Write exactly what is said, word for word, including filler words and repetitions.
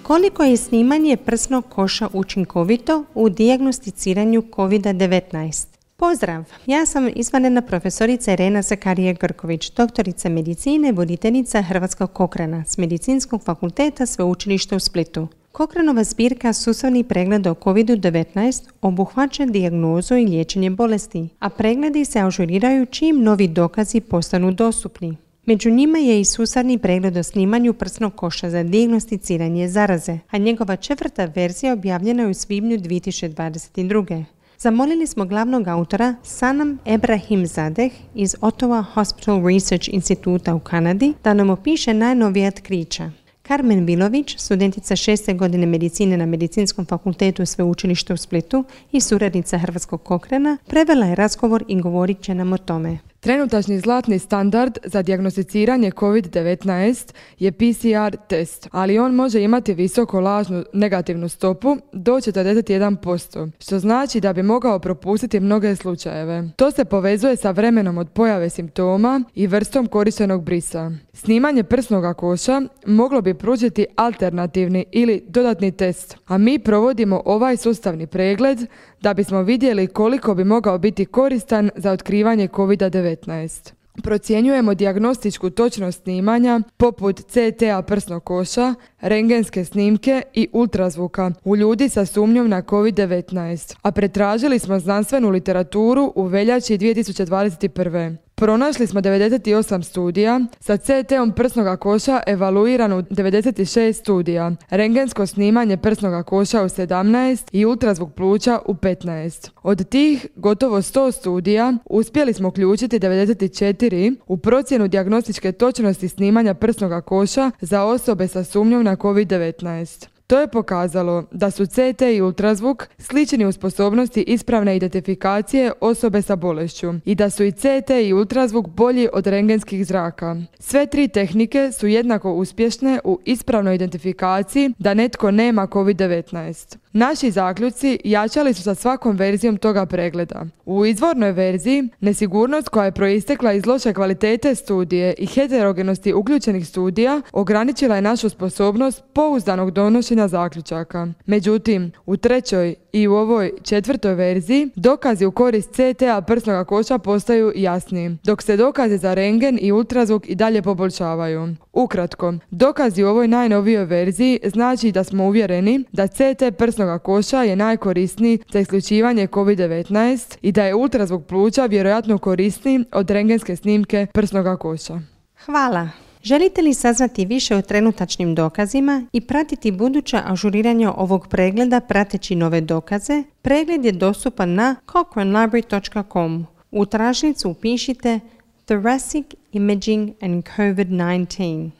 Koliko je snimanje prsnog koša učinkovito u dijagnosticiranju kovid devetnaest? Pozdrav, ja sam izvanredna profesorica Irena Zakarije-Grković, doktorica medicine, voditeljica Hrvatskog Cochrana s Medicinskog fakulteta Sveučilišta u Splitu. Cochranova zbirka sustavnih pregleda o kovid devetnaest obuhvaća dijagnozu i liječenje bolesti, a pregledi se ažuriraju čim novi dokazi postanu dostupni. Među njima je i sustavni pregled o snimanju prsnog koša za dijagnosticiranje zaraze, a njegova četvrta verzija objavljena je u svibnju dvije tisuće dvadeset druge. Zamolili smo glavnog autora Sanam Ebrahimzadeh iz Ottawa Hospital Research Instituta u Kanadi da nam opiše najnovija otkrića. Carmen Vilović, studentica šeste godine medicine na Medicinskom fakultetu Sveučilišta u Splitu i suradnica Hrvatskog Cochrana, prevela je razgovor i govorit će nam o tome. Trenutačni zlatni standard za dijagnosticiranje kovid devetnaest je P C R test, ali on može imati visoko lažnu negativnu stopu do četrdeset jedan posto, što znači da bi mogao propustiti mnoge slučajeve. To se povezuje sa vremenom od pojave simptoma i vrstom korištenog brisa. Snimanje prsnog koša moglo bi pružiti alternativni ili dodatni test, a mi provodimo ovaj sustavni pregled da bismo vidjeli koliko bi mogao biti koristan za otkrivanje kovid devetnaest. Procjenjujemo dijagnostičku točnost snimanja poput C T-a prsnog koša, rentgenske snimke i ultrazvuka u ljudi sa sumnjom na kovid devetnaest, a pretražili smo znanstvenu literaturu u veljači dvije tisuće dvadeset prve. Pronašli smo devedeset osam studija, sa C T-om prsnog koša evaluirano u devedeset šest studija, rentgensko snimanje prsnog koša u sedamnaest i ultrazvuk pluća u petnaest. Od tih gotovo sto studija uspjeli smo uključiti devedeset četiri u procjenu dijagnostičke točnosti snimanja prsnog koša za osobe sa sumnjom na kovid devetnaest. To je pokazalo da su C T i ultrazvuk slični u sposobnosti ispravne identifikacije osobe sa bolešću i da su i C T i ultrazvuk bolji od rentgenskih zraka. Sve tri tehnike su jednako uspješne u ispravnoj identifikaciji da netko nema kovid devetnaest. Naši zaključci jačali su sa svakom verzijom toga pregleda. U izvornoj verziji nesigurnost koja je proistekla iz loše kvalitete studije i heterogenosti uključenih studija ograničila je našu sposobnost pouzdanog donošenja zaključaka. Međutim, u trećoj i u ovoj četvrtoj verziji dokazi u korist C T-a prsnog koša postaju jasniji, dok se dokazi za rentgen i ultrazvuk i dalje poboljšavaju. Ukratko, dokazi u ovoj najnovijoj verziji znači da smo uvjereni da C T prsnog koša je najkorisniji za isključivanje kovid devetnaest i da je ultrazvuk pluća vjerojatno korisniji od rentgenske snimke prsnog koša. Hvala! Želite li saznati više o trenutačnim dokazima i pratiti buduća ažuriranja ovog pregleda prateći nove dokaze? Pregled je dostupan na cochrane library dot com. U tražnicu upišite Thoracic Imaging and kovid devetnaest.